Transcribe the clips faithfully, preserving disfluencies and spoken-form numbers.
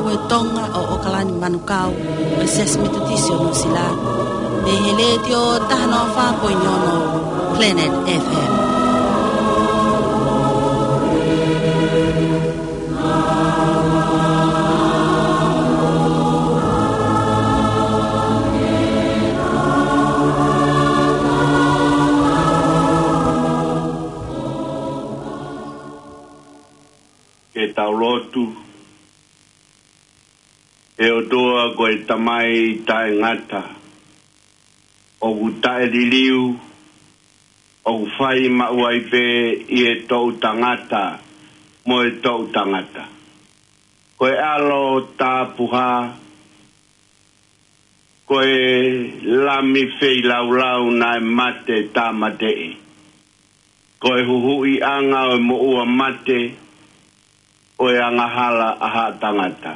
Ko e Tonga ʻo ʻOkalani Manukau, ʻo e Siasi Metotisi ʻo Nuʻusila, ʻi he Letiō taha noa fā poini ono Planet F M. Ke tau lotu. ʻE ʻOtua, ko e Tamai taʻengata, ʻoku taʻeliliu, ʻoku fai maʻu ai pē ʻi he toʻutangata mo e toʻutangata. Ko e ʻAlo Tapuhā, ko e Lami feilaulau naʻe mate tāmateʻi. Ko e huhuʻiʻanga ʻo e moʻua mate, ʻo e angahala ʻa haʻa tangata.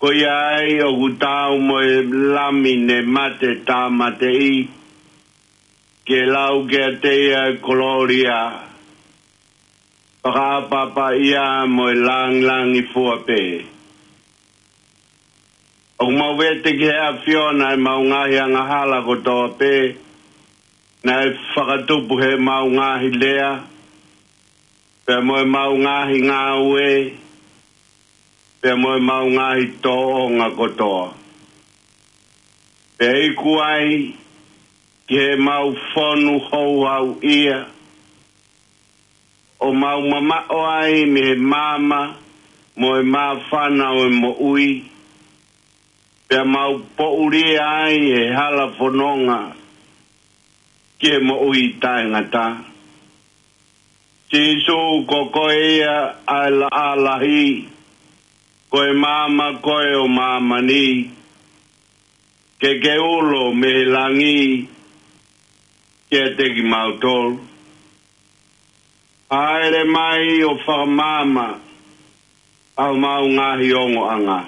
Ko ia ai ʻoku taau mo e Lami ne mate tāmateʻi, ke lau kiate ia e kolōlia, fakaʻapaʻapaʻia mo e lāngilangi fua pē. ʻOku mau vete ki he ʻAfiona ʻemau ngaahi angahala kotoa pē, naʻe fakatupu heʻemau ngaahi lea, pea mo ʻemau ngaahi ngāue, pea mo ʻemau ngaahi tōʻonga kotoa. Pea iku ai ki heʻemau fonu houhau ia, ʻo mau mamaʻo ai mei he maama mo e māfana ʻo e moʻui, pea mau poʻulia ai he hala fononga ki he moʻui taʻengata. Sīsū, ko koe ia ʻa e laʻā lahi, ko e maama koe ʻo māmani, ke ke ulo mei he langi kiate kimautolu. Hāʻele mai ʻo fakamaama ʻa homau ngaahi ongoʻanga.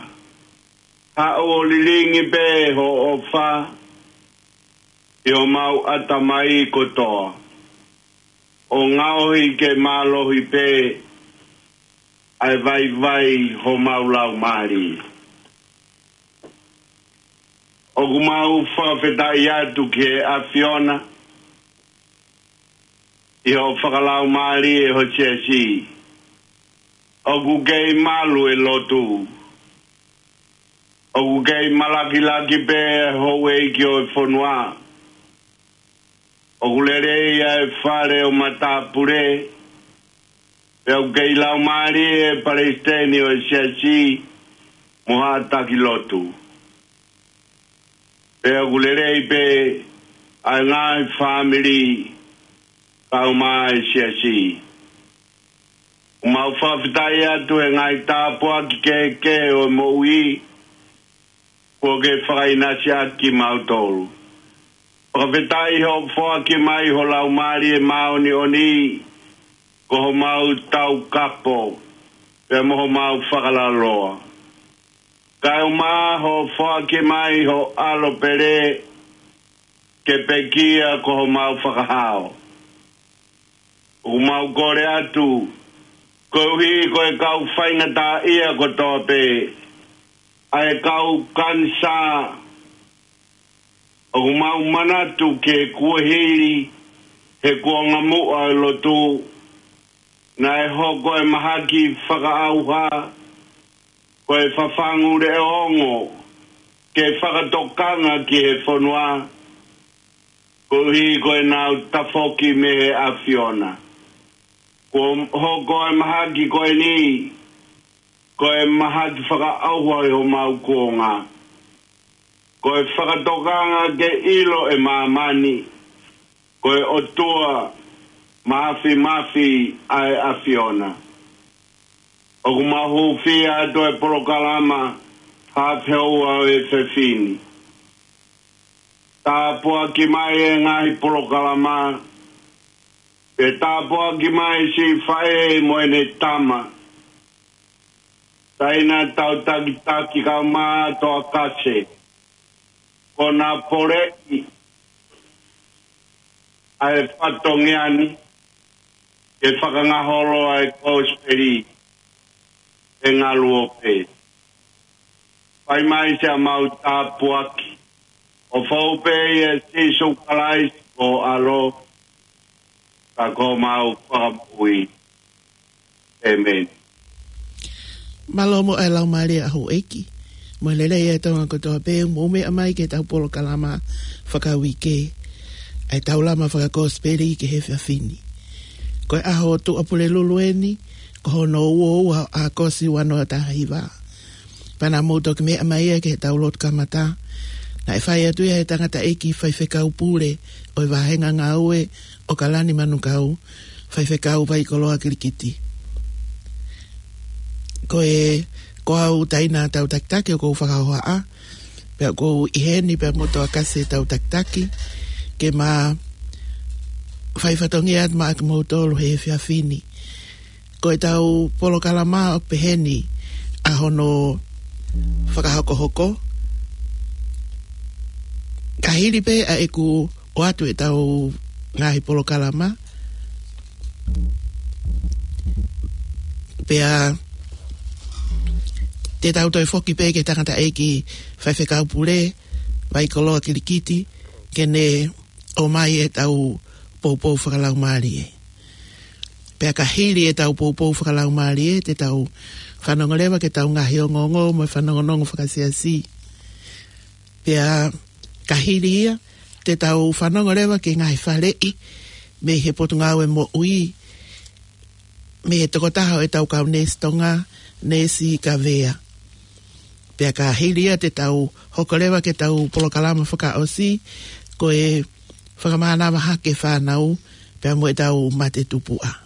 Haʻu ʻo lilingi pē ho ʻofa ʻi homau ʻatamai kotoa, ʻo ngaohi ke mālohi pē ʻa e vaivai homau laumālie. ʻOku mau fakafetaʻi atu ki he ʻAfiona ʻi hoʻo fakalaumālie ho siasi. ʻOku kei malu e lotu. ʻOku kei malakilaki pē houʻeiki ʻo e fonua. ʻOku lelei ʻa e fale ʻo matāpule. Pea ʻoku kei laumālie e palesiteni ʻo e siasi mo haʻa taki lotu. Pea ʻoku lelei pē ʻa e ngaahi fāmili kae ʻumaʻā e siasi. ʻOku mau fakafetaʻi atu he ngaahi tāpuaki kehekehe ʻo e moʻui kuo ke fakaʻinasi ʻaki kimautolu. Fakafetaʻi hoʻo foaki mai ho Laumālie Māʻoniʻoni ko homau taukapo pea mo homau fakalaloa. Kae ʻumaʻā hoʻo foaki mai ho ʻAlo pele ke pekia ko homau fakahao. ʻOku mau kole atu, koeʻuhi ko e kau faingataʻaʻia kotoa pē, ʻa e kau kanisā, ʻoku mau manatu ki he kuohili he kuonga muʻa ʻo e lotu, naʻe hoko e mahaki fakaʻauha ko e fafangu leʻo ongo ke fakatokanga ki he fonua, koeʻuhi ko ʻenau tafoki mei he ʻAfiona. Kuo hoko e mahaki ko eni ko e mahaki fakaʻauha ʻi homau kuonga. Ko e fakatokanga ke ʻilo ʻe māmani ko e ʻOtua Māfimafi ʻa e ʻAfiona. ʻOku mau hūfia atu e polokalama Haʻa Feʻoua ʻo e Efiafi ni. Tāpuaki mai e ngaahi polokalama, pea tāpuaki mai siʻi faʻē mo ʻene tama, Taina Tautakitaki kae ʻumaʻā Toakase, ko ʻena poleʻi ʻa e fatongia ni ke fakangaholo ʻa e kosipeli. ʻe ngaluope. Fai mai siʻa mau tāpuaki ʻo fou pē ʻia Sīsū Kalaisi ko ho ʻAlo, ka ko homau Fakamoʻui. ʻĒmeni. Mālō mo e Laumālie ʻa houʻeiki. Mo e lelei ʻa e Tonga kotoa pē, mou meʻa mai ki heʻetau polokalama fakauike, ʻa e Taulama Fakakosipeli ki he efiafi ni. Ko e ʻaho Tuʻapulelulu eni, ko hono uo ua ʻo ʻAokosi ua noa taha hiva. Pea naʻa mou toki meʻa mai ia ki heʻetau lotu kamata. Naʻe fai atu ia ʻe he tangataʻeiki faifekau pule ʻo e vāhenga ngāue ʻo Kalani Manukau, Faifekau Vaikoloa Kilikiti. Ko e, ko au Taina Tautakitaki ʻoku ou fakahohaʻa, pea ʻoku ou ʻi heni pea mo Toa Kasi Tautakitaki, ke ma fai fatongia atu maʻa kimoutolu he efiafi ni. Ko ʻetau polokalama ʻoku pehē ni ʻa hono fakahokohoko. Ka hili pē ʻa ʻeku ʻoatu ʻetau ngaahi polokalama, pea te tau toe foki pē ki he tangataʻeiki faifekau pule, Vaikoloa Kilikiti, ke ne ʻomai ʻetau poupou fakalaumālie. Pea ka hili ʻetau poupou fakalaumālie, te tau fanongo leva ki heʻetau ngaahi ongoongo mo e fanongonongo fakasiasi. Pea ka hili ia, te tau fanongo leva ki he ngaahi faleʻi mei he Potungāue Moʻui, mei he tokotaha ʻo ʻetau kau neesi Tonga, Neesi Kavea. Pea ka hili ia, te tau hoko leva ki heʻetau polokalama fakaʻosi, ko e fakamānava hake fānau, pea mo ʻetau mate tupuʻa.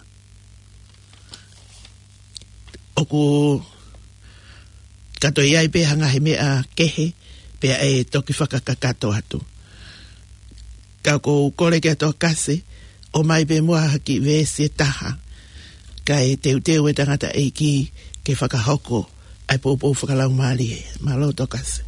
ʻOku ka toe ʻi ai pē ha ngaahi meʻa kehe, pea ʻe toki fakakakato atu. Ka ʻoku ou kole ki he Toa Kasi, ʻomai pē muʻa ha kiʻi veesi ʻe taha, kae teuteu e tangataʻeiki ke fakahoko ʻa e poupou fakalaumālie. Mālō Toa Kasi.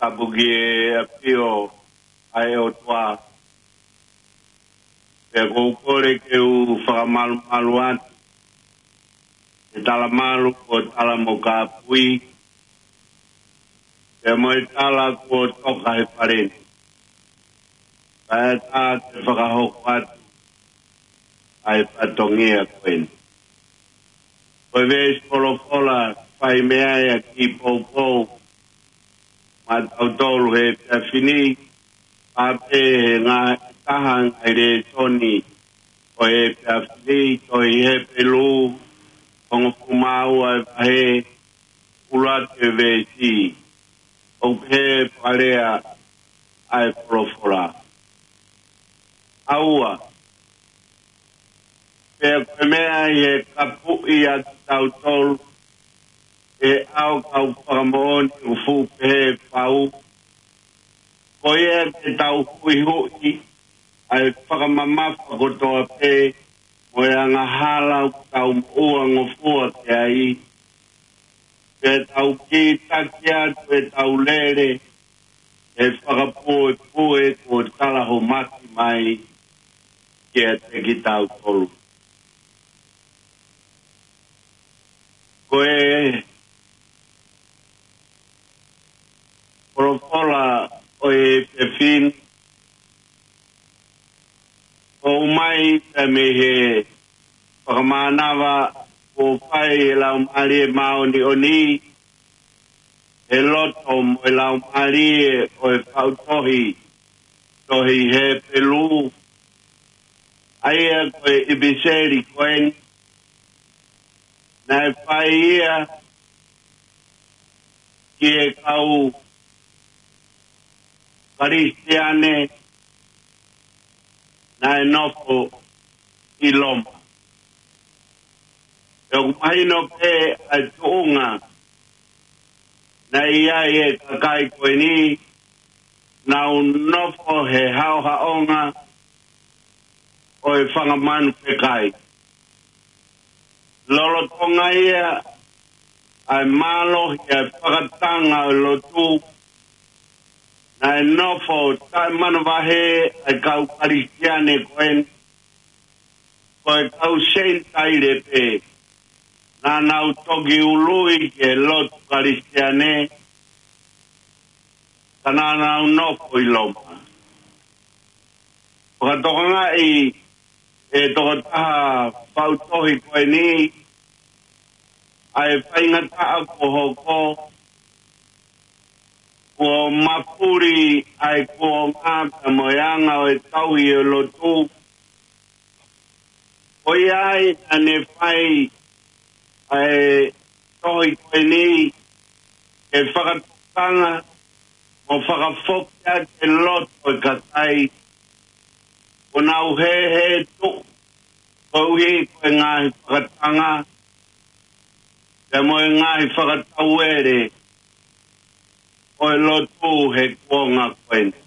Tapu ki he ʻafio ʻa e ʻOtua. Pea ʻoku ou kole ke u fakamalumalu atu he talamalu ko Tala mo Kāpui, pea mo e tala kuo toka he paleni. Kae ʻatā ke fakahoko atu ʻa e fatongia ko eni. Ko e veesi folofola fai mei ai ʻa e kiʻi poupou maʻatautolu he efiafi ni, pea pehē he ngaahi taha ngaahi lēsoni ʻo e efiafi ni, tohi Hepelū, hongofulu mā ua e vahe, ʻuluaki e veesi, ʻoku pehē fakalea ʻa e folofola. ʻA ua, pea ko e meʻa ʻi he kapuʻi ʻa kitautolu ʻe he ʻao kau fakamoʻoni ʻoku fuʻu pehē fau, ko ia ke tau huʻihuʻi ʻa e fakamamafa kotoa pē mo e angahala ʻoku tau moʻua ngofua ki ai, pea tau kītaki atu ʻetau lele he fakapuepue kuo talahomaki mai kiate kitautolu. Ko e folofola ʻo e efiafi ni, ʻoku ʻomai pē mei he fakamānava kuo fai ʻe he Laumālie Māʻoniʻoni, he loto mo e laumālie ʻo e faʻu tohi, tohi Hepelū, ʻa ia ko e ʻipiseli ko eni, naʻe fai ia ki he kau Kalisitiane naʻe nofo ʻi Loma. ʻOku mahino pē ʻa e tuʻunga naʻe ʻi ai e kakai ko eni, nau nofo he haʻohaʻonga ʻo e fanga manu fekai. Lolotonga ia ʻa e mālohi ʻa e fakatanga ʻo e lotu, naʻe nofo taʻemanavahē ʻa e kau Kalisitiane ko eni, ko e kau Senitaile pē naʻa nau toki ului ki he lotu Kalisitiane, ka naʻa nau nofo ʻi Loma. Fakatokangaʻi ʻe he tokotaha faʻu tohi ko eni ʻa e faingataʻa kuo hoko, kuo mafuli ʻa e kuonga pea mo e anga ʻo e tauhi ʻo e lotu. Ko ia ai naʻa ne fai ʻa e tohi ko eni ke fakatokanga mo fakafoki ʻa e loto ʻo e kakai kuo nau hēhē tuʻu koeʻuhi ko e ngaahi fakatanga pea mo e ngaahi fakatauele ʻo e lotu he kuonga ko eni.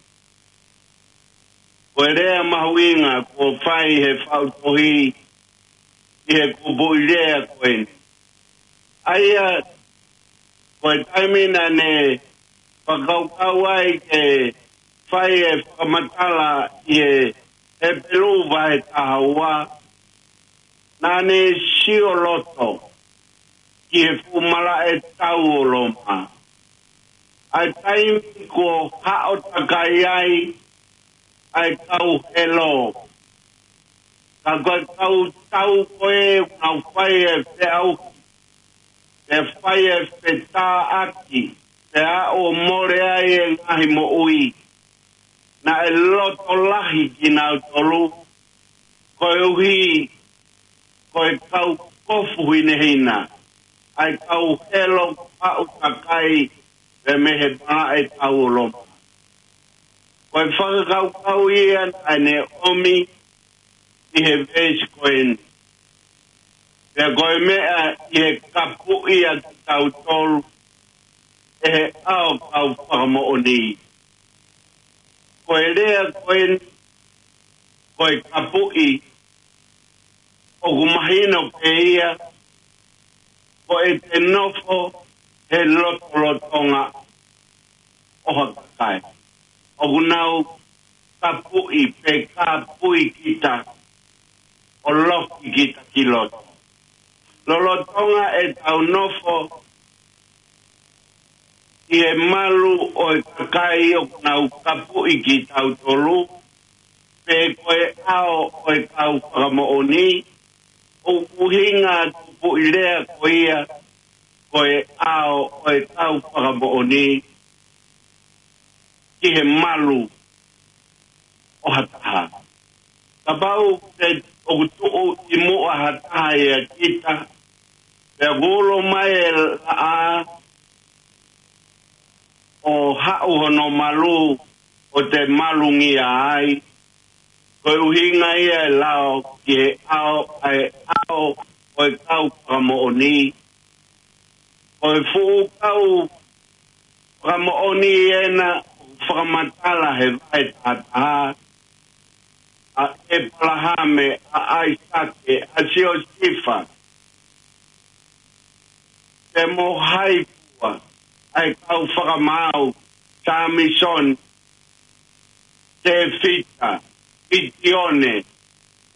Ko e lea mahuʻinga kuo fai he faʻu tohi ʻi he kupuʻi lea ko eni. ʻA ia, ko e taimi naʻa ne fakakaukau ai ke fai e fakamatala ʻi he Hepelū vahe taha ua, naʻa ne sio loto ki he fuʻu malaʻe tau ʻo Loma. ʻA e taimi kuo haʻo takai ai ʻa e kau Helo. Ka ko e kau tau ko ē ʻoku nau fai e feʻauhi, ʻe fai e fetāʻaki, pea ʻo mole ai e ngaahi moʻui. Naʻe loto lahi kinautolu, koeʻuhi ko e kau kofu hinehina, ʻa e kau Helo haʻu takai pē mei he malaʻe tau ʻo Loma. Ko e fakakaukau ia naʻa ne ʻomi ʻi he veesi ko eni. Pea ko e meʻa ʻi he kapuʻi ʻa kitautolu ʻe he ʻao kau fakamoʻoni. Ko e lea ko eni, ko e kapuʻi, ʻoku mahino pē ia, ko ʻete nofo he lotolotonga ʻo ha kakai. ʻOku nau kapuʻi pe kāpui kita, ʻo loki kita ki loto. Lolotonga ʻetau nofo ʻi he malu ʻo e kakai ʻoku nau kapuʻi kitautolu, pe ko e ʻao ʻo e kau fakamoʻoni, ʻoku ʻuhinga ʻa e kupuʻi lea ko ia, ko e ʻao ʻo e kau fakamoʻoni ki he malu ʻo ha taha. Kapau te ʻoku tuʻu ʻi muʻa ha taha ʻia kita, pea kuo ulo mai e laʻā ʻo haʻu hono malu ʻo te malungia ai, ko e ʻuhinga ia e lao ki he ʻao, ʻa e ʻao ʻo e kau fakamoʻoni. Ko e fuʻu kau fakamoʻoni ena ʻoku fakamatala he vahe taha taha, ʻa ʻEpalahame, ʻa ʻAisake, ʻa Siosefa, pea mo hai fua, ʻa e kau fakamaau, Samisoni, Tēfita, ʻItione,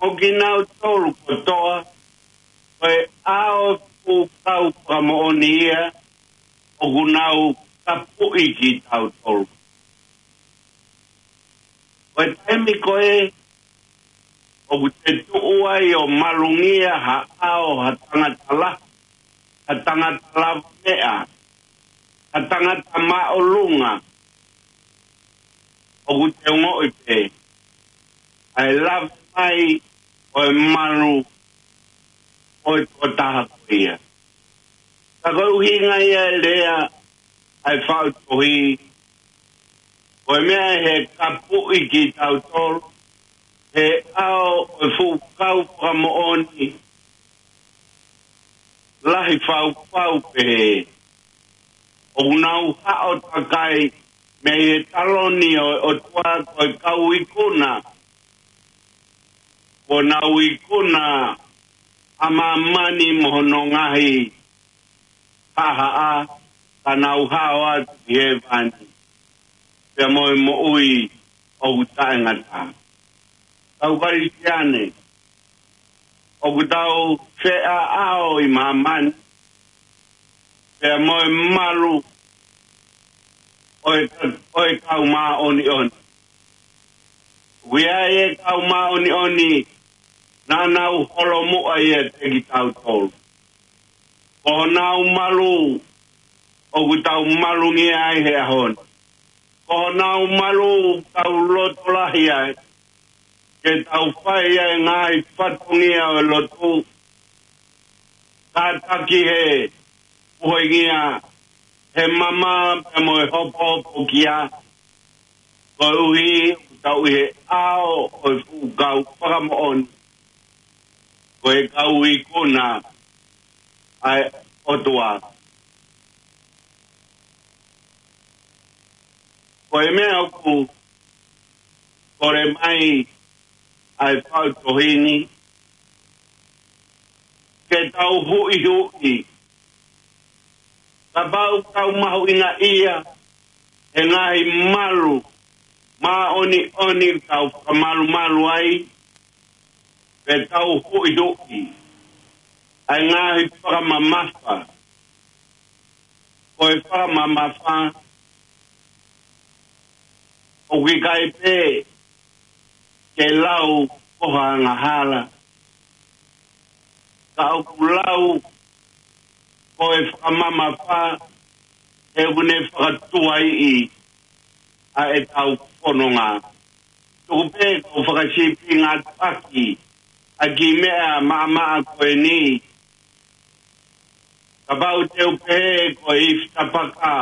ʻo kinautolu kotoa, ko e ʻao ʻo e kau fakamoʻoni ia, ʻoku nau kapuʻi kitautolu. Ko e taimi ko ē ʻoku te tuʻu ai ʻo malungia ha ʻao, ha tangata lahi, ha tangata lavameʻa, ha tangata māʻolunga, ʻoku te ongoʻi pē ʻa e lava mai ʻo e malu ʻo e tokotaha ko ia. Ka ko e ʻuhinga ia e lea ʻa e faʻu tohi, ko e meʻa ʻe he kapuʻi kitautolu, He ʻao ʻo e fuʻu kau fakamoʻoni lahi fau pau pehē, ʻoku nau haʻo takai mei he taloni ʻo e ʻOtua ko e kau ikuna. Kuo nau ikuna ʻa māmani mo hono ngaahi haʻahaʻa, ka nau hao atu ki hēvani pea mo e moʻui ʻoku taʻengata. Kau Kalisitiane, ʻoku tau feʻaʻao ʻi māmani pea mo e malu ʻo e, ʻo e kau māʻoniʻoni. ʻOku ʻi ai e kau māʻoniʻoni naʻa nau holomuʻa ʻiate kitautolu. Ko honau malu ʻoku tau malungia ai he ʻaho ni. Ko honau malu ʻoku tau loto lahi ai ke tau fai ai e ngaahi fatongia ʻo e lotu, kātaki he puhoingia, he mama pea mo e hopohopokia, koeʻuhi ʻoku tau ʻi he ʻao ʻo e fuʻu kau fakamoʻoni, ko e kau ikuna ʻa e ʻOtua. Ko e meʻa ʻoku kole mai ʻa e faʻu tohi ni, ke tau huʻihuʻi. Kapau ʻoku tau mahuʻingaʻia he ngaahi malu māʻoniʻoni ʻoku tau fakamalumalu ai, pea tau huʻihuʻi ʻa e ngaahi fakamamafa. Ko e fakamamafa ʻoku ʻikai pē ke lau ko ha angahala, ka ʻoku lau ko e fakamamafa he ʻoku ne fakatuaiʻi ʻa ʻetau fononga. Tuku pē ke u fakasīpinga atu ʻaki ʻa e kiʻi meʻa maʻamaʻa ko eni. Kapau te u pehē ko e ifi tapaka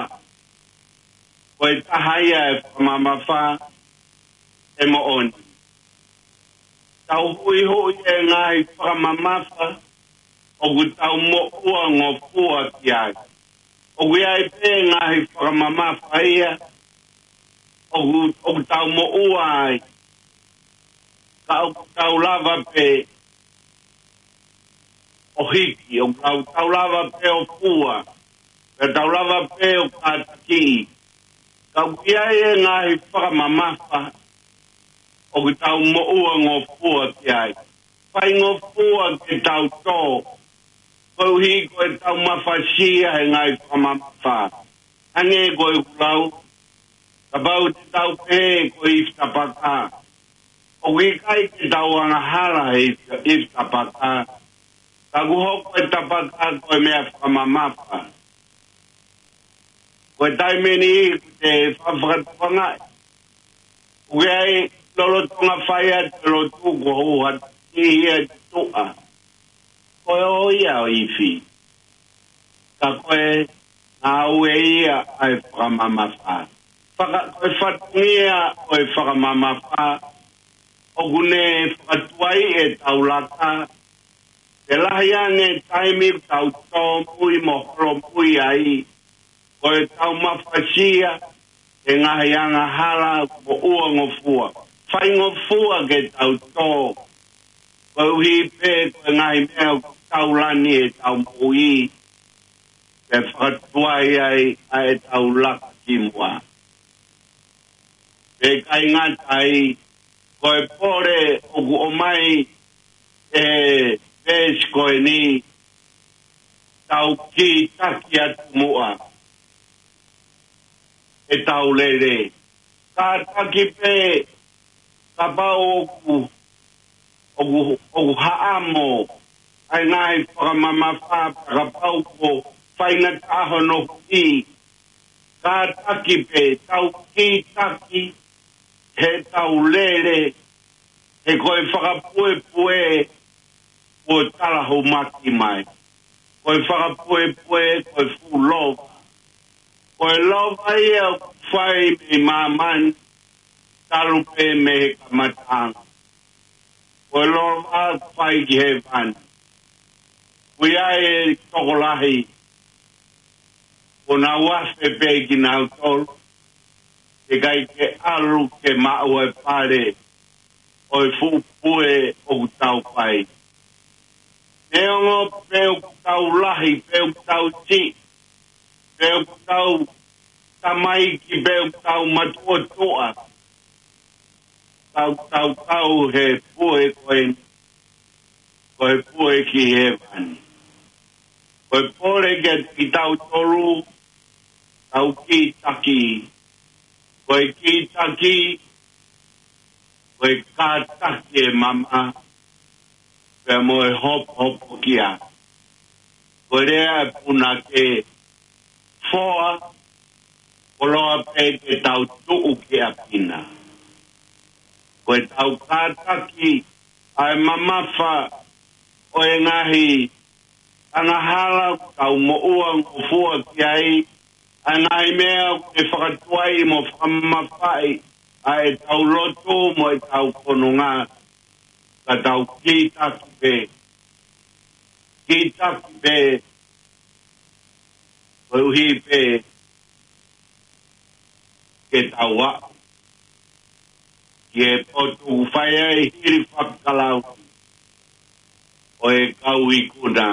ko e taha ia e fakamamafa, ʻe moʻoni. Tau huʻihuʻi e ngaahi fakamamafa ʻoku tau moʻua ngofua ki ai. ʻOku ʻi ai pē ngaahi fakamamafa ia ʻoku, ʻoku tau moʻua ai, ka ʻoku tau lava pē ʻo hiki, ʻoku tau, tau lava pē ʻo fua, pea tau lava pē ʻo kātakiʻi. Ka ʻoku ʻi ai e ngaahi fakamamafa ʻoku tau moʻua ngofua ki ai. Faingofua ke tau tō, koeʻuhi ko e tau mafasia he ngaahi fakamamafa. Hangē ko ʻeku lau, kapau te tau pehē ko e ifi tapaka, ʻoku ʻikai ke tau angahala he ifi, ifi tapaka. Ka ʻoku hoko e tapaka ko e meʻa fakamamafa. Ko e taimi ni ʻoku te fakafakatuʻanga ʻoku ʻi ai lolotonga fai atu e lotu ko hou ha tihi e tuʻa. Ko e ō ia ʻo ifi. Ka ko e ngāue ia ʻa e fakamamafa. Faka-, ko e fatongia ʻo e fakamamafa, ʻoku ne fakatuaiʻi e tau laka, ke lahi ange taimi ʻoku tau tōmui mo holomui ai, ko e tau mafasia he ngaahi angahala moʻua ngofua. Faingofua ke tau tō, koeʻuhi pē ko e ngaahi meʻa ʻoku tau lani e tau moʻui, ke fakatuai ai ʻa e tau laka ki muʻa. Pea ʻikai ngata ai, ko e pole ʻoku ʻomai e veesi ko eni, tau kītaki atu muʻa e tau lele. Kātaki pē kapau ʻoku, ʻoku, ʻoku haʻamo ʻa e ngaahi fakamamafa, pea kapau kuo faingataʻa hono huʻi, kātaki pē tau kītaki he tau lele, he ko e fakapuepue kuo talahumaki mai. Ko e fakapuepue, ko e fuʻu lova. Ko e lova ia ʻoku fai mei māmani, talu pē mei he kamataʻanga. Ko e lolo ʻoku fai ki hēvani. ʻOku ʻi ai e tokolahi ʻoku nau afe pē kinautolu, ʻikai ke ʻalu ke maʻu e pale ʻo e fuʻu pue ʻoku tau fai. Neongo pe ʻoku tau lahi, pe ʻoku tau siʻi, pe ʻoku tau tamaiki, pe ʻoku tau matuʻotuʻa, tau, tau, tau he pue ko eni, ko e pue ki hēvani. Ko e pole kiate kitautolu, tau kītaki. Ko e kītaki, ko e kātaki e mama, pea mo e hopohopokia. Ko e lea ʻa e punake, foa, koloa pē ke tau tuʻu ki ʻapi na. Ko e tau kātaki ʻa e mamafa ʻo e ngaahi angahala ʻoku tau moʻua ngofua ki ai, ʻa e ngaahi meʻa ʻoku ne fakatuai mo fakamamafaʻi ʻa e tau lotu mo e tau fononga, ka tau kītaki pē, kītaki pē, koeʻuhi pē ke tau aʻu ki he potu ʻoku fai ai hili fakakalauni ʻo e kau ikuna,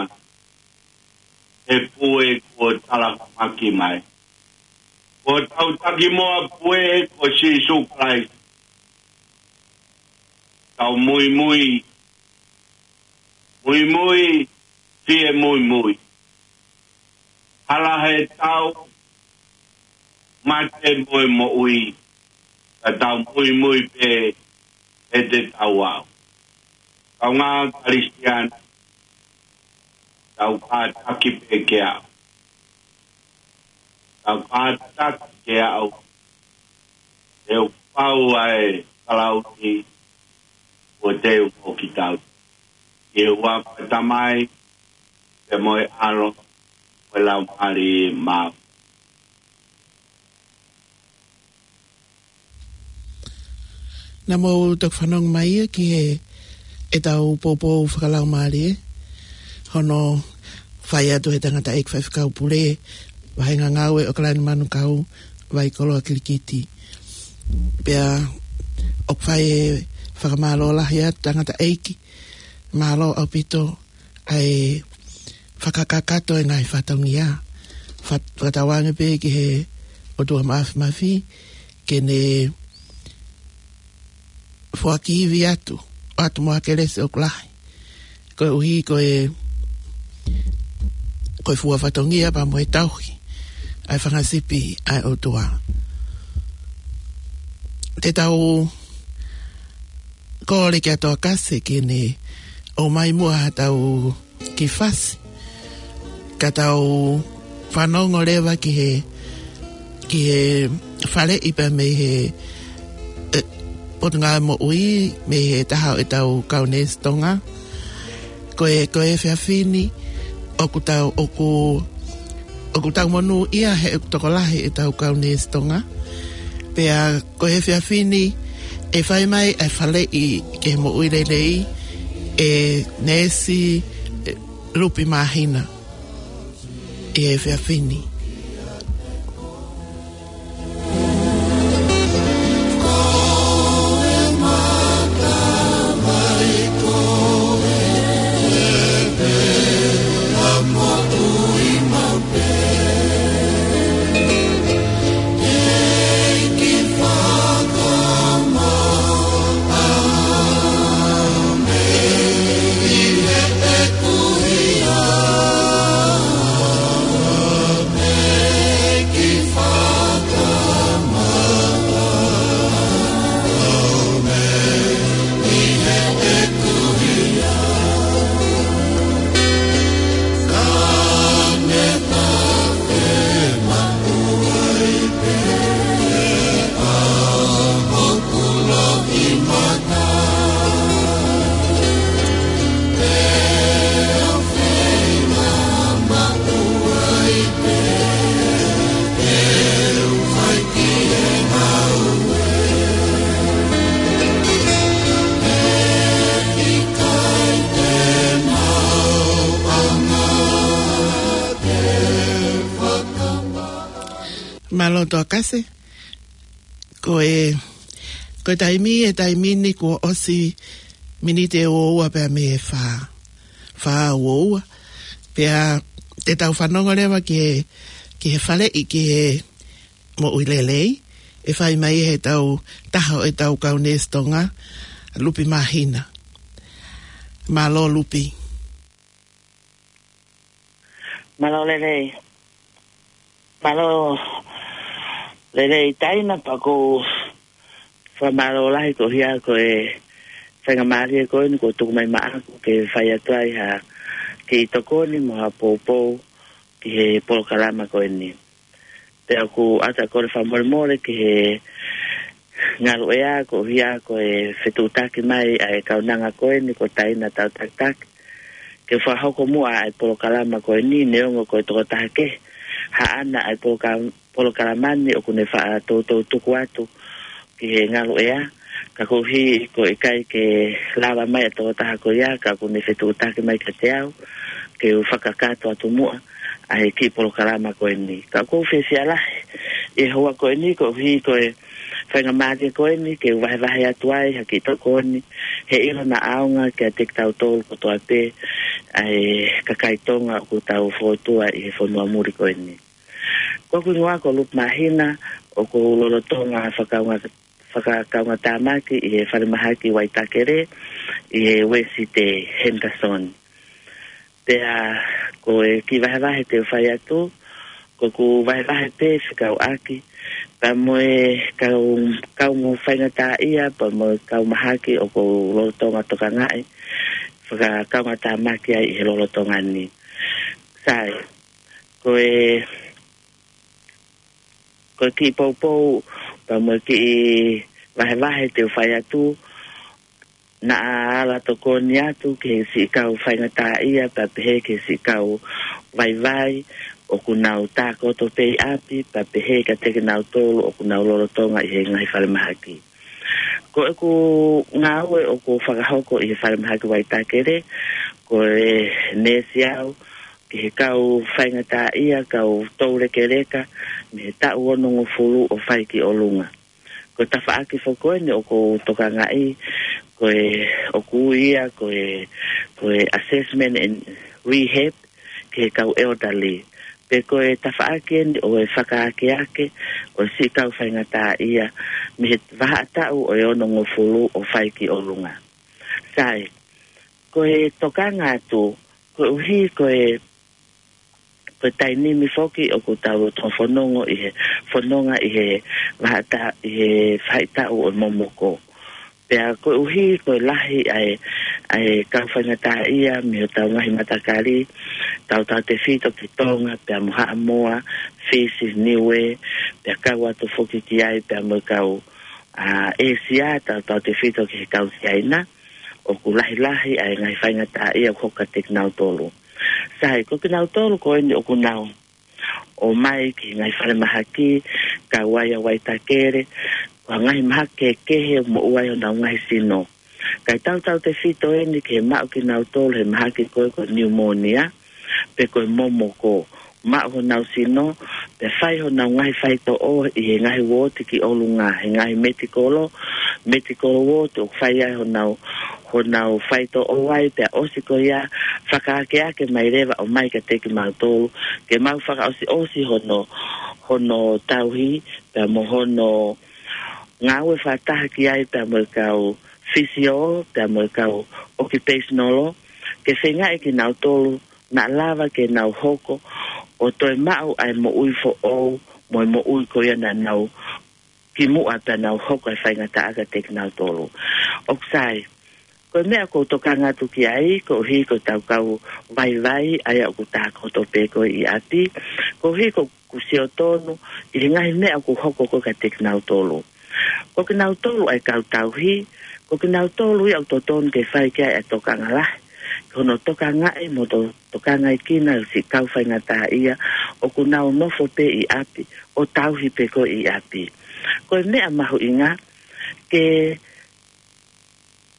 he pue kuo talahumaki mai. Ko hotau takimoa pue ko Sīsū Kalaisi. Tau muimui, muimui, fie muimui. Hala he tau, mate mo e moʻui, ka tau muimui pē he te tau aʻu. Kaungā Kalisitiane, tau kātaki pē ke aʻu. Tau kātaki ke aʻu. Te u pau ʻa e kalauni, ʻo te u mo kitau. ʻI he huafa ʻo e Tamai, pea mo e ʻAlo, mo e Laumālie Māʻoniʻoni. Naʻa mou toki fanongo mai ia ki he, ʻetau poupou fakalaumālie, hono fai atu he tangataʻeiki faifekau pule, vahenga ngāue ʻo ʻAokalani Manukau, Vaikoloa Kilikiti. Pea ʻoku fai e fakamālō lahi atu tangataʻeiki, mālō ʻaupito ʻa e fakakakato e ngaahi fatongia. Fat-, fakatauange pē ki he ʻOtua Mafimafi, ke ne foaki ivi atu, atu mo ha kelesi ʻoku lahi. Koeʻuhi ko e, ko e fua fatongia pea mo e tauhi ʻa e fanga sipi ʻa e ʻOtua. Te tau kole kia Toakase ke ne ʻomai muʻa ha tau kiʻi fasi. Ka tau fanongo leva ki he, ki he faleʻi pea mei he, e, Potungāue Moʻui, mei he taha ʻo ʻetau kau neesi Tonga. Ko e, ko e efiafi ni, ʻoku tau, ʻoku, ʻoku tau monūʻia he ʻoku tokolahi ʻetau kau neesi Tonga. Pea ko e efiafi ni, ʻe fai mai ʻa e faleʻi ki he moʻui lelei, ʻe neesi, ʻe Lupi Māhina, ʻi he efiafi ni. Mālō Toa Kase. Ko e, ko e taimi, e taimi ni kuo ʻosi miniti ʻe uaua pea mei he fā, fā uaua. Pea te tau fanongo leva ki he, ki he faleʻi, ki he moʻui lelei ʻe fai mai ʻe heʻetau taha ʻo ʻetau kau neesi Tonga, Lupi Māhina. Mālō Lupi. Mālō lelei. Mālō lelei Taina, pea ʻoku ou fakamālō lahi koeʻuhi ko e faingamālie ko eni kuo tuku mai maʻaku ke fai atu ai ha kiʻi tokoni mo ha poupou ki he polokalama ko eni. Pea ʻoku ou ʻatā kole fakamolemole ki he ngaluʻea koeʻuhi ko e fetuʻutaki mai ʻa e kaunanga ko eni ko Taina Tautakitaki ke fakahoko muʻa ʻa e polokalama ko eni, neongo ko e tokotaha kehe haʻana ʻa e poloka-, polokalama ni, ʻoku ne faʻa toutou tuku atu ki he ngaluʻea. Ka koeʻuhi ko e ʻikai ke lava mai ʻa e tokotaha ko ia, ka ʻoku ne fetuʻutaki mai kiate au ke u fakakakato atu muʻa ʻa e kiʻi polokalama ko eni. Ka ʻoku ou fiefia lahi ʻi he houa ko eni koeʻuhi ko e faingamālie ko eni ke u vahevahe atu ai ha kiʻi tokoni, he ʻilo naʻa ʻaonga kiate kitautolu kotoa pē ʻa e kakai Tonga ʻoku tau fōtua ʻi he fonua muli ko eni. Ko hoku hingoa ko Lupi Māhina, ʻoku ou lolotonga fakakaunga-, fakakaungatāmaki ʻi he falemahaki Waitakere ʻi he Uēsite Henderson. Pea ko e kiʻi vahevahe te u fai atu, ko ʻeku vahevahe pē fekauʻaki pea mo e kau, kau mo faingataʻaʻia, pea mo e kau mahaki ʻoku ou lolotonga tokangaʻi, fakakaungatāmaki ai ʻi he lolotonga ni. Sai, ko e, ko e kiʻi poupou, pea mo e kiʻi vahevahe te u fai atu, naʻa ala tokoni atu ki he siʻi kau faingataʻaʻia, pea pehē ki he siʻi kau vaivai ʻoku nau tākoto pē ʻi ʻapi, pea pehē kiate kinautolu ʻoku nau lolotonga ʻi he ngaahi falemahaki. Ko ʻeku ngāue ʻoku ou fakahoko ʻi he falemahaki Waitakere, ko e neesi au ki he kau faingataʻaʻia, kau toulekeleka, mei he taʻu onongofulu ʻo fai ki ʻolunga. Ko e tafaʻaki foki ko eni ʻoku ou tokangaʻi, ko e, ʻoku ui ia ko e, ko e assessment and rehab ki he kau elderly. Pe ko e tafaʻaki eni ʻo e fakaakeake ʻo e siʻi kau faingataʻaʻia mei he vahaʻa taʻu ʻo e onongofulu ʻo fai ki ʻolunga. Sai, ko e tokanga atu, koeʻuhi ko e, ko e taimi ni foki ʻoku tau lolotonga fononga ʻi he, fononga ʻi he vahaʻa ta-, ʻi he faʻahitaʻu ʻo e momoko. Pea koeʻuhi ko e lahi ʻa e, ʻa e kau faingataʻaʻia mei hotau ngaahi matakali, tautautefito ki Tonga, pea mo Haʻamoa, Fisi, Niue, pea kau atu foki ki ai, pea mo e kau, ʻa, ʻĒsia, tautautefito ki he kau Siaina, ʻoku lahilahi ʻa e ngaahi faingataʻaʻia ʻoku hoko kiate kinautolu. Sai, ko kinautolu ko eni ʻoku nau ō mai ki he ngaahi falemahaki, kau ai ʻa Waitakere, ko e ngaahi mahaki kehekehe ʻoku moʻua ai honau ngaahi sino. Kae tautautefito eni ki he maʻu kinautolu he mahaki ko e ko e pneumonia, pe ko e momoko, maʻu honau sino, pea fai honau ngaahi faitoʻo ʻi he ngaahi uooti ki ʻolunga, he ngaahi metikolo, medical ward, ʻoku fai ai honau, honau faitoʻo ai, pea ʻosi ko ia, fakaakeake mai leva ʻo mai kiate kimautolu, ke mau fakaʻosiʻosi hono, hono tauhi, pea mo hono ngāue fakataha ki ai, pea mo e kau fisio, pea mo e kau occupational, ke feingaʻi kinautolu naʻa lava ke nau hoko ʻo toe maʻu ʻa e moʻui foʻou, mo e moʻui ko ia naʻa nau kimuʻa pea nau hoko ʻa e faingataʻa kiate kinautolu. ʻOku sai, ko e meʻa ʻoku ou tokanga atu ki ai, koeʻuhi ko ʻetau kau vaivai, ʻa ia ʻoku tākoto pē ko ē ʻi ʻapi, koeʻuhi ko ʻeku sio tonu ʻi he ngaahi meʻa ʻoku hoko ko ē kiate kinautolu. Ko kinautolu ʻa e kau tauhi, ko kinautolu ia ʻoku totonu ke fai ki ai ʻa e tokanga lahi, ko hono tokangaʻi mo to-, tokangaʻi kinautolu siʻi kau faingataʻaʻia, ʻoku nau nofo pē ʻi ʻapi, ʻo tauhi pē ko ē ʻi ʻapi. Ko e meʻa mahuʻinga, ke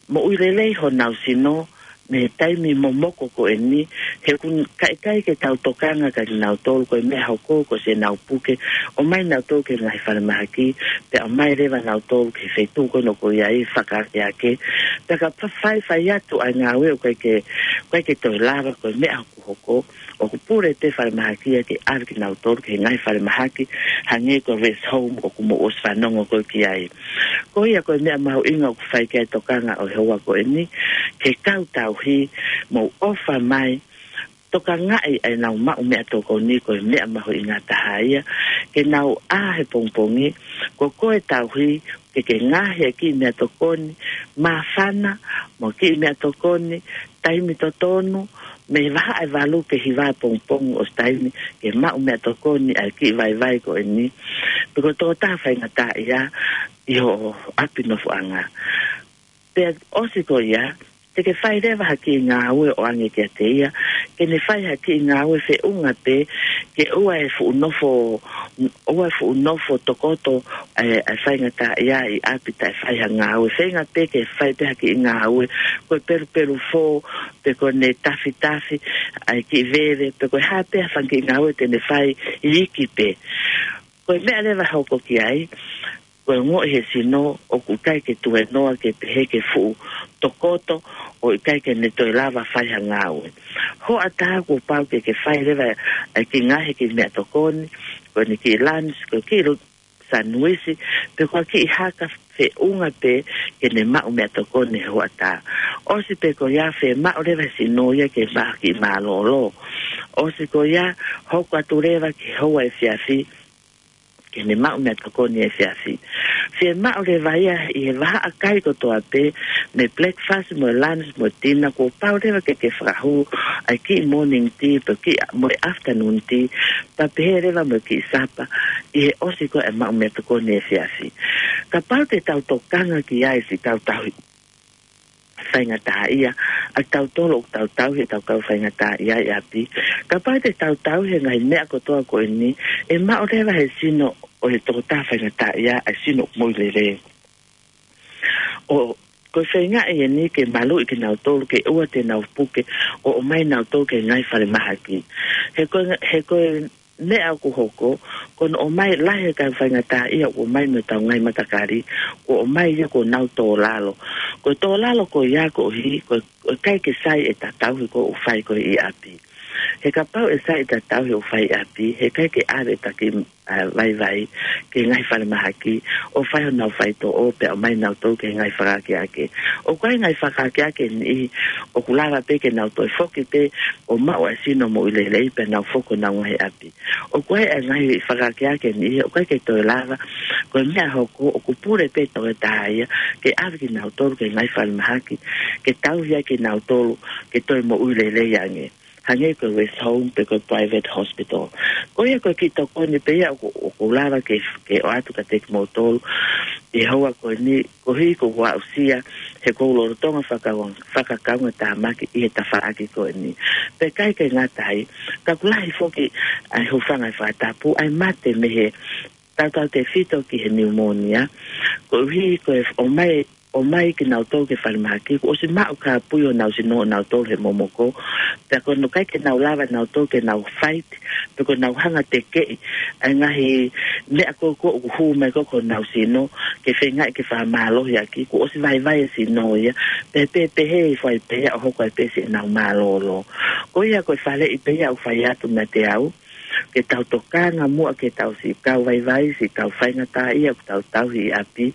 moʻui lelei honau sino, mei he taimi momoko ko eni, he ʻoku ʻikai ke tau tokanga kia kinautolu, ko e meʻa hoko ko ē ʻenau puke, ʻomai nautolu ki he ngaahi falemahaki, pea ʻomai leva nautolu ki he feituʻu ko ē ʻoku ʻi ai e fakaakeake, pea ka fa-, fai, fai atu ʻa e ngāue ʻoku ʻikai ke, ʻikai ke toe lava, ko e meʻa ʻoku hoko, ʻoku pule pē falemahaki ia ke ʻave kinautolu ki he ngaahi falemahaki, hangē ko e rest home ʻoku mou ʻosi fanongo ko ē ki ai. Ko ia ko e meʻa mahuʻinga ʻoku fai ki ai e tokanga ʻo e houa ko eni, ke kau tauhi, mou ʻofa mai, tokangaʻi ʻenau maʻu meʻatokoni, ko e meʻa mahuʻinga taha ia, ke nau ʻā he pongipongi, ko koe tauhi, ke ke ngaohi e kiʻi meʻatokoni, māfana, mo e kiʻi meʻatokoni, taimi totonu, mei he vahaʻa ʻe valu ki he hiva pongipongi ʻosi taimi, ke maʻu meʻatokoni ʻa e kiʻi vaivai ko eni, pe ko e tokotaha faingataʻaʻia ʻi ho ʻapi nofoʻanga. Pea ʻosi ko ia, te ke fai leva ha kiʻi ngāue ʻo ʻoange kiate ia, ke ne fai ha kiʻi ngāue feʻunga pē, ke ʻoua ʻe fuʻu nofo, ʻoua ʻe fuʻu nofo tokoto, ʻa e, ʻa e faingataʻaʻia ʻi ʻapi taʻe fai ha ngāue. Feinga pē ke fai pē ha kiʻi ngāue, ko e pelupelufō, pe ko ʻene tafitafi, ʻa e kiʻi veve, pe ko e hā pē ha fanga kiʻi ngāue te ne fai iiki pē. Ko e meʻa leva hoko ki ai, ko e ongoʻi he sino ʻoku ʻikai ke tuēnoa ke pehē ke fuʻu tokoto ʻo ʻikai ke ne toe lava fai ha ngāue. Hoʻatā kuo pau ke ke fai leva ʻa e kiʻi ngaohi kiʻi meʻatokoni, ko ʻene kiʻi lunch, ko e kiʻi lu-, sanuisi, pe ko e kiʻi haka feʻunga pē ke ne maʻu meʻatokoni he hoʻatā. ʻOsi pē ko ia fiemaʻu leva he sino ia ke maʻu ha kiʻi mālōlō. ʻOsi ko ia hoko atu leva ki he houa efiafi, ke ne maʻu meʻatokoni efiafi. Fiemaʻu leva ia ʻi he vahaʻa kai kotoa pē, mei he breakfast, mo e lunch, mo e dinner, kuo pau leva ke ke fakahū ʻa e kiʻi morning tea, pe kiʻi, mo e afternoon tea, pea pehē leva mo e kiʻi sapa, ʻi he ʻosi ko ē ʻa e maʻu meʻatokoni efiafi. Kapau te tau tokanga ki ai siʻi kau tauhi faingataʻaʻia, ʻa tautolu ʻoku tau tauhi ʻetau kau faingataʻaʻia ʻi ʻapi. Kapau te tau tauhi e ngaahi meʻa kotoa ko eni, ʻe maʻu leva he sino ʻo e tokotaha faingataʻaʻia ʻa e sino moʻui lelei. ʻO, ko e feingaʻi eni ke maluʻi kinautolu ke ʻoua te nau puke, ʻo ʻomai nautolu ki he ngaahi falemahaki. He ko e, he ko e meʻa ʻoku hoko, ko hono ʻomai lahi e kau faingataʻaʻia ʻoku ʻomai mei heʻetau ngaahi matakali, kuo ʻomai ia kuo nau tō lalo. Ko e tō lalo ko ia koeʻuhi, ko e, ko e ʻikai ke sai ʻeta tauhi ko ē ʻoku fai ko ē ʻi ʻapi. He kapau ʻe sai ʻeta tauhi ʻoku fai ʻi ʻapi, he ʻikai ke ʻave ʻeta kiʻi, ʻa, vaivai ki he ngaahi falemahaki, ʻo fai honau faitoʻo pea ʻomai nautolu ki he ngaahi fakaakeake. ʻOku ʻi ai e ngaahi fakaakeake ʻe niʻihi ʻoku lava pē ke nau toe foki pē ʻo maʻu ʻa e sino moʻui lelei pea nau foki ki honau ngaahi ʻapi. ʻOku ʻi ai e ngaahi fakaakeake ʻe niʻihi ʻoku ʻikai ke toe lava, ko e meʻa hoko ʻoku pule pē tokotaha ia ke ʻave kinautolu ki he ngaahi falemahaki, ke tauhi ai kinautolu ke toe moʻui lelei ange. Hangē ko e rest home pe ko e private hospital. Ko ia ko e kiʻi tokoni pē ia ʻoku, ʻoku lava ke, ke ʻoatu kiate kimoutolu ʻi he houa ko eni, koeʻuhi ko hoʻo aʻusia, he ʻoku ou lolotonga fakakau-, fakakaungatāmaki ʻi he tafaʻaki ko eni. Pea ʻikai ke ngata ai, ka ʻoku lahi foki ʻa e hūfanga he fakatapu, ʻa e mate mei he tautautefito ki he niumōnia, koeʻuhi ko e ʻomai, ʻomai kinautolu ki he falemahaki, kuo ʻosi maʻu kāpui honau sino ʻonautolu he momoko, pea ko hono ʻikai ke nau lava nautolu ke nau fight, pe ko ʻenau hanga tekeʻi ʻa e ngaahi meʻa ko ē ʻoku hū mai ko ē ki honau sino, ke feingaʻi ke fakamālohiʻaki, kuo ʻosi vaivai e sino ia, pea pehē pē he fai pē ia ʻo hoko ai pē siʻenau mālōlō. Ko ia ko e faleʻi pē ia ʻoku fai atu meiate au, ke tau tokanga muʻa ki heʻetau siʻi kau vaivai, siʻi kau faingataʻaʻia ʻoku tau tauhi ʻi ʻapi,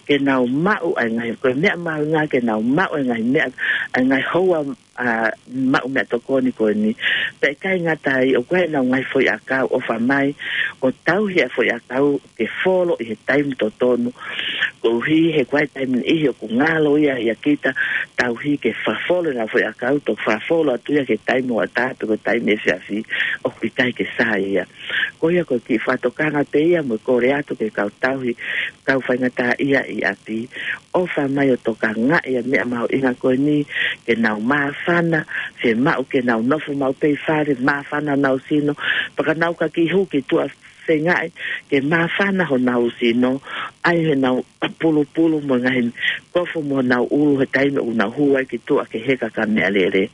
ke nau maʻu ʻa e ngaahi, ko e meʻa mahuʻinga ke nau maʻu ʻa e ngaahi meʻa, ʻa e ngaahi houa, ʻa, maʻu meʻatokoni ko eni. Pea ʻikai ngata ai, ʻoku ʻi ai ʻenau ngaahi foʻiʻakau, ʻofa mai ʻo tauhi ʻa e foʻiʻakau ke folo ʻi he taimi totonu. Koeʻuhi he ʻoku ʻi ai e taimi niʻihi ʻoku ngalo ia ʻia kita, tauhi ke fakafolo ʻenau foʻiʻakau, toki fakafolo atu ia ki he taimi hoʻatā pe ko e taimi efiafi, ʻoku ʻikai ke sai ia. Ko ia ko e kiʻi fakatokanga pē ia mo e kole atu ki he kau tauhi, kau faingataʻaʻia ʻi ʻapi, ʻofa mai ʻo tokangaʻi ʻa e meʻa mahuʻinga ko eni, ke nau māfana, fiemaʻu ke nau nofo maʻu pē ʻi fale, māfana honau sino, pea ka nau ka kiʻi hū ki tuʻa feingaʻi ke māfana honau sino, ʻai honau pulupulu mo e ngaahi kofo mo honau ʻulu he taimi ʻoku nau hū ai ki tuʻa ki he heka ka meʻalele.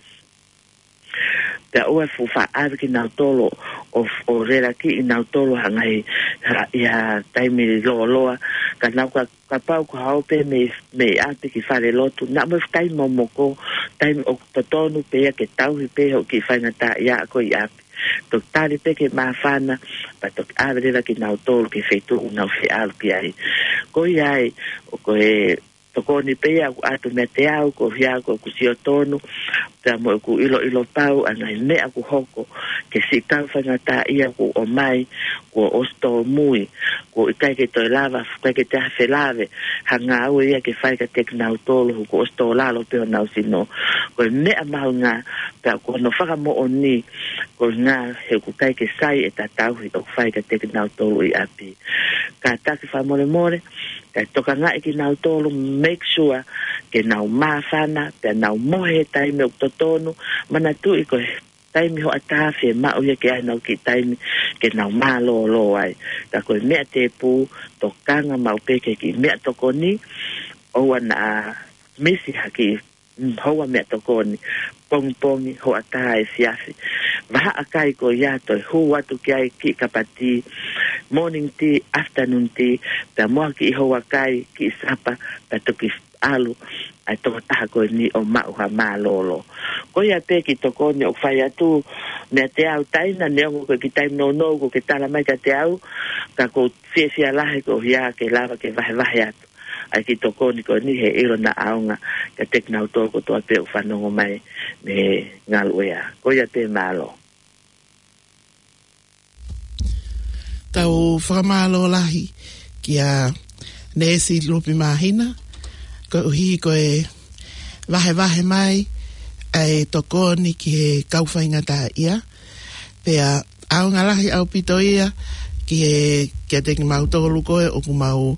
Pea ʻoua ʻe fuʻu faʻa ʻave kinautolu ʻo, ʻo lelaki ʻi nautolu ha ngaahi, ha, ʻi ha taimi lōloa, ka nau ka, kapau ko ha ō pē mei, mei ʻapi ki fale lotu, naʻa mo e taimi momoko, taimi ʻoku totonu pē ia ke tauhi pē hoʻo kiʻi faingataʻaʻia ko ē ʻi ʻapi. Toki tali pē ke māfana, pea toki ʻave leva kinautolu ki he feituʻu ʻoku nau fie ʻalu ki ai. Ko ia ai, ʻoku tokoni pē ia ʻoku ʻatu meiate au, ko ia ko ʻeku sio tonu, pea mo ʻeku ʻiloʻilo pau ʻa e ngaahi meʻa ʻoku hoko, ki he siʻi kau faingataʻaʻia kuo ʻomai, kuo ʻosi tōmui, kuo ʻikai ke toe lava, ʻikai ke toe felave ha ngāue ia ke fai kiate kinautolu, kuo ʻosi tō lalo pē honau sino. Ko e meʻa mahuʻinga, pea ko hono fakamoʻoni, ko e ngaahi he ʻoku ʻikai ke sai ʻeta tauhi ʻoku fai kiate kinautolu ʻi ʻapi. Kātaki fakamolemole, kae tokangaʻi kinautolu, make sure ke nau māfana, pea nau mohe he taimi ʻoku totonu, manatuʻi ko e taimi hoʻatā fiemaʻu ia ke ʻai ʻenau kiʻi taimi ke nau mālōlō ai. Ka ko e meʻa tēpū, tokanga maʻu pē ki he kiʻi meʻatokoni, ʻoua naʻa misi ha kiʻi, mm, houa meʻatokoni, pongipongi, hoʻatā, efiafi. Vahaʻa kai ko ia toe hū atu ki ai kiʻi kapa tī, morning tea, afternoon tea, pea mo ha kiʻi houa kai, kiʻi sapa, pea toki ʻalu ʻa e tokotaha ko eni ʻo maʻu ha mālōlō. Ko ia pē kiʻi tokoni ʻoku fai atu meiate au, Taina, neongo ko e kiʻi taimi nounou kuo ke tala mai kiate au, ka ʻoku ou fiefia lahi ko ia ke lava ke vahevahe atu ʻa e kiʻi tokoni ko eni he ʻilo naʻa ʻaonga kiate kinautolu kotoa pē ʻoku fanongo mai mei he ngaluʻea. Ko ia pē, mālō. Tau fakamālō lahi kia Neesi Lupi Māhina, koeʻuhi ko e vahevahe mai ʻa e tokoni ki he kau faingataʻaʻia. Pea ʻaonga lahi ʻaupito ia ki he, kiate kimautolu ko ē ʻoku mau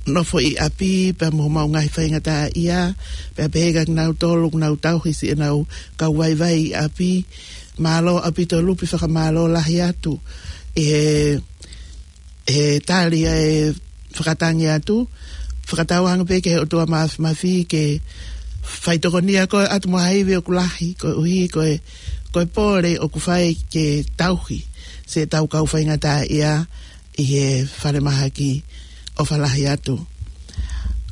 nofo ʻi ʻapi, pea mo homau ngaahi faingataʻaʻia, pea pehē kia kinautolu ʻoku nau tauhi siʻenau kau vaivai ʻi ʻapi. Mālō ʻaupito Lupi, fakamālō lahi atu ʻi he, he tali ʻa e fakatangi atu. Fakatauange pē ki he ʻOtua Māfimafi ke faitokonia koe atu mo ha ivi ʻoku lahi, koeʻuhi ko e, ko e pole ʻoku fai ke tauhi siʻetau kau faingataʻaʻia ʻi he falemahaki. ʻOfa lahi atu.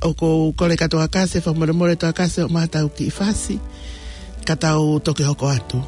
ʻOku ou kole kia Toakase, fakamolemole Toakase, ʻomai haʻatau kiʻi fasi, ka tau toki hoko atu.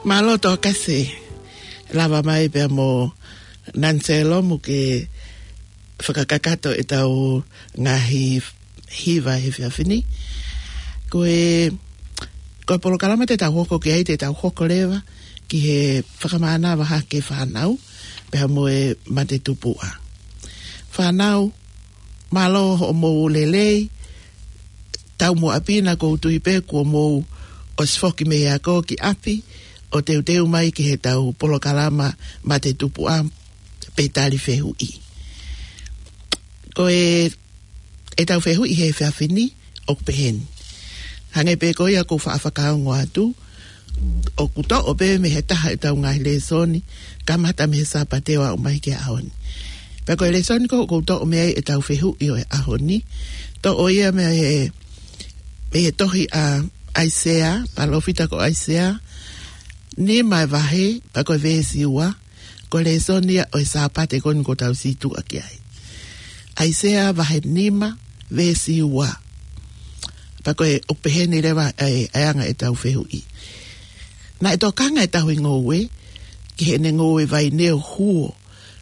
Mālō Toakase, lava mai pea mo Nanselo mo ke fakakakato ʻetau ngaahi hiva he efiafi ni. Ko e Ko e polokalama te tau hoko ki ai, te tau hoko leva ki he fakamānava hake fānau, pea mo e mate tupuʻa. Fānau, mālō hoʻomou lelei, taumuʻa pē naʻa ʻoku ou tui pē kuo mou ʻosi foki mei he ako ki ʻapi, ʻo teuteu mai ki heʻetau polokalama mate tupuʻa pe tali fehuʻi. Ko e, ʻetau fehuʻi he efiafi ni, ʻoku peheni. Hangē pē ko ia ʻoku ou faʻa fakaongo atu, ʻoku toʻo pē mei he taha ʻetau ngaahi lēsoni, kamata mei he Sāpate ʻo aʻu mai ki he ʻaho ni. Pea ko e lēsoni ko ē ʻoku ou toʻo mei ai ʻetau fehuʻi ʻo e ʻaho ni, toʻo ia mei he, mei he tohi ʻa ʻAisea, palōfita ko ʻAisea, nima e vahe, pea ko e veesi ua, ko e lēsoni ia ʻo e Sāpate ko eni ʻoku tau situʻa ki ai. ʻAisea vahe nima, veesi ua. Pea ko e ʻoku peheni leva e, e anga ʻetau fehuʻi. Naʻe tokanga e tauhi ngoue ki heʻene ngoue vaine ʻo huo,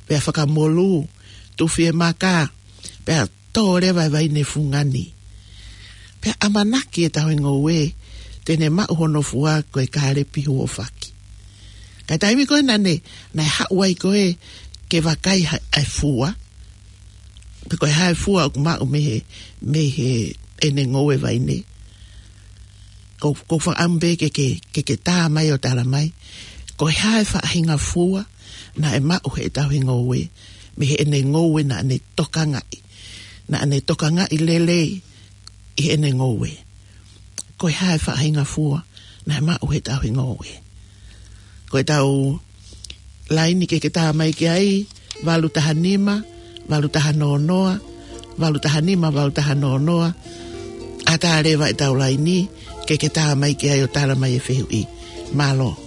pea fakamolū, tufi e maka, pea tō leva e vaine fungani. Pea ʻamanaki e tauhi ngoue te ne maʻu hono fua ko e kālepi huofaki. Ka taimi ko ē naʻa ne, naʻe haʻu ai ko ē ke vakai ha, e fua, pe ko e hā e fua ʻoku maʻu mei he, mei heʻene ngoue vaine. Ko, ʻoku ou fakaʻamu pē ke, ke, ke, ke tā mai ʻo tala mai, ko e hā e faʻahinga fua naʻe maʻu he tauhi ngoue mei heʻene ngoue naʻa ne tokangaʻi. Naʻa ne tokangaʻi lelei ʻi heʻene ngoue. Ko e hā e faʻahinga fua naʻe maʻu he tauhi ngoue. Ko ʻetau laini ke ke tā mai ki ai, valu taha nima, valu taha noa noa, valu taha nima, valu taha noa noa. ʻAtā leva ʻetau laini ke ke tā mai ki ai ʻo tala mai e fehuʻi. Mālō.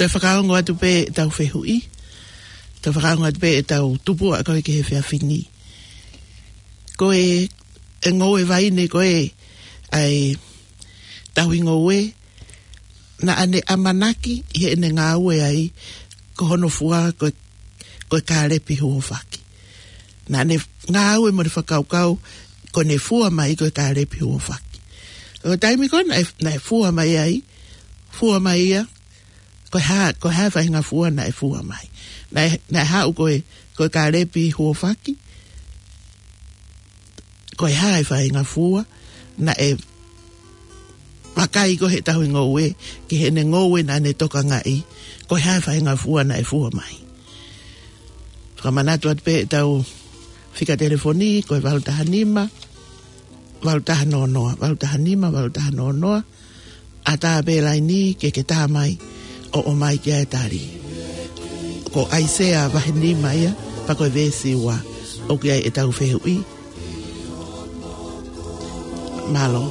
Toe fakaongo atu pē ʻetau fehuʻi. Toe fakaongo atu pē ʻetau tupuʻa ko ē ki he efiafi ni. Ko e, e ngoue vaine ko ē ʻa e tauhi ngoue, naʻa ne ʻamanaki ʻi heʻene ngāue ai ko hono fua ko e, ko e kālepi huofaki. Naʻa ne ngāue mo ne fakakaukau ko ʻene fua mai ko e kālepi huofaki. Ko e taimi ko ē naʻe, naʻe fua mai ai, fua mai ia, ko e hā, ko e hā e faʻahinga fua naʻe fua mai. Naʻe, naʻe haʻu ko e, ko e kālepi huofaki, ko e hā e faʻahinga fua naʻe vakai ko ē he tauhi ngoue ki heʻene ngoue naʻa ne tokangaʻi, ko e hā e faʻahinga fua naʻe fua mai. Fakamanatu atu pē ʻetau Fika telefoni ko e valu taha nima, valu taha noa noa, valu taha nima, valu taha noa noa. ʻAtā pē laini ke ke tā mai ʻo ʻomai ki ai e tali. Ko ʻAisea vahe nima ia, pea ko e veesi ua, ʻoku ʻi ai ʻetau fehuʻi. Mālō.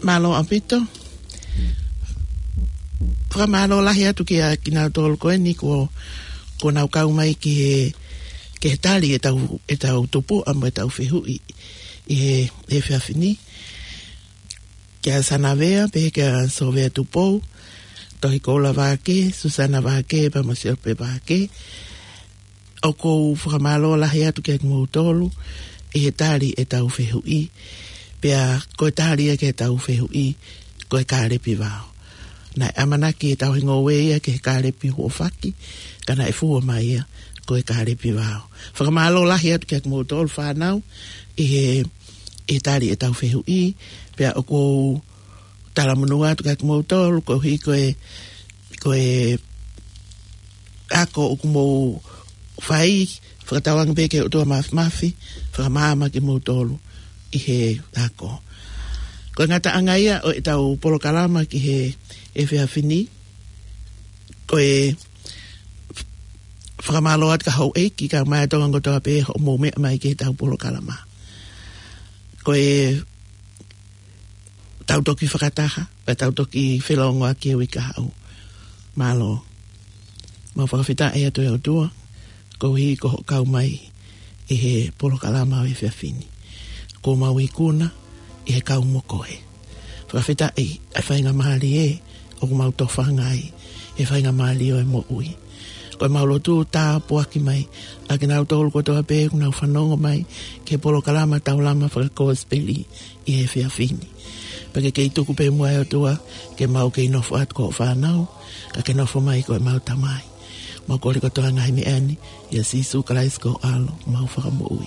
Mālō ʻaupito. Fakamālō lahi atu kia kinautolu ko eni kuo, kuo nau kau mai ki he, ki he tali ʻetau, ʻetau tupuʻa mo ʻetau fehuʻi ʻi he, he efiafi ni. Kia Sanavea, pehē kia Sovea Tupou, Tohi Koula Vake, Susana Vake, pea mo Siope Vake. ʻOku ou fakamālō lahi atu kia kimoutolu ʻi he tali ʻetau fehuʻi. Pea ko e tali ia ki heʻetau fehuʻi, ko e kālepi vao. Naʻe ʻamanaki ʻetau hingoa ia ki he kālepi huofaki, ka naʻe fua mai ia ko e kālepi vao. Fakamālō lahi atu kia kimoutolu fānau ʻi he, ʻi he tali ʻetau fehuʻi. Pea ʻoku ou talamonū atu kia kimoutolu, koeʻuhi ko e, ko e ako ʻoku mou fai, fakatauange pē ki he ʻOtua Māfimafi, fakamaama kimoutolu ʻi he ako. Ko e ngataʻanga ia ʻo ʻetau polokalama ki he efiafi ni, ko e fakamālō atu ki he houʻeiki kae ʻumaʻā e Tonga kotoa pē hoʻomou meʻa mai ki heʻetau polokalama. Ko e tau toki fakataha, pea tau toki felōngoaki he uike kahaʻu. Mālō. Mau fakafetaʻi atu ʻe ʻOtua, koeʻuhi ko hoʻo kau mai ʻi he polokalama ʻo e efiafi ni. Kuo mau ikuna ʻi he kau mo koe. Fakafetaʻi ʻa e faingamālie ʻoku mau tofanga ai, he faingamālie ʻo e moʻui. Ko e mau lotu tāpuaki mai ʻa kinautolu kotoa pē ʻoku nau fanongo mai ki he polokalama Taulama Fakakosipeli ʻi he efiafi ni. Pea ke kei tuku pē muʻa ʻe ʻOtua, ke mau kei nofo atu ko hoʻo fānau, ka ke nofo mai ko e mau Tamai. Mau kole kotoa ngaahi meʻa ni, ʻia Sīsū Kalaisi ko ho ʻAlo, mau Fakamoʻui.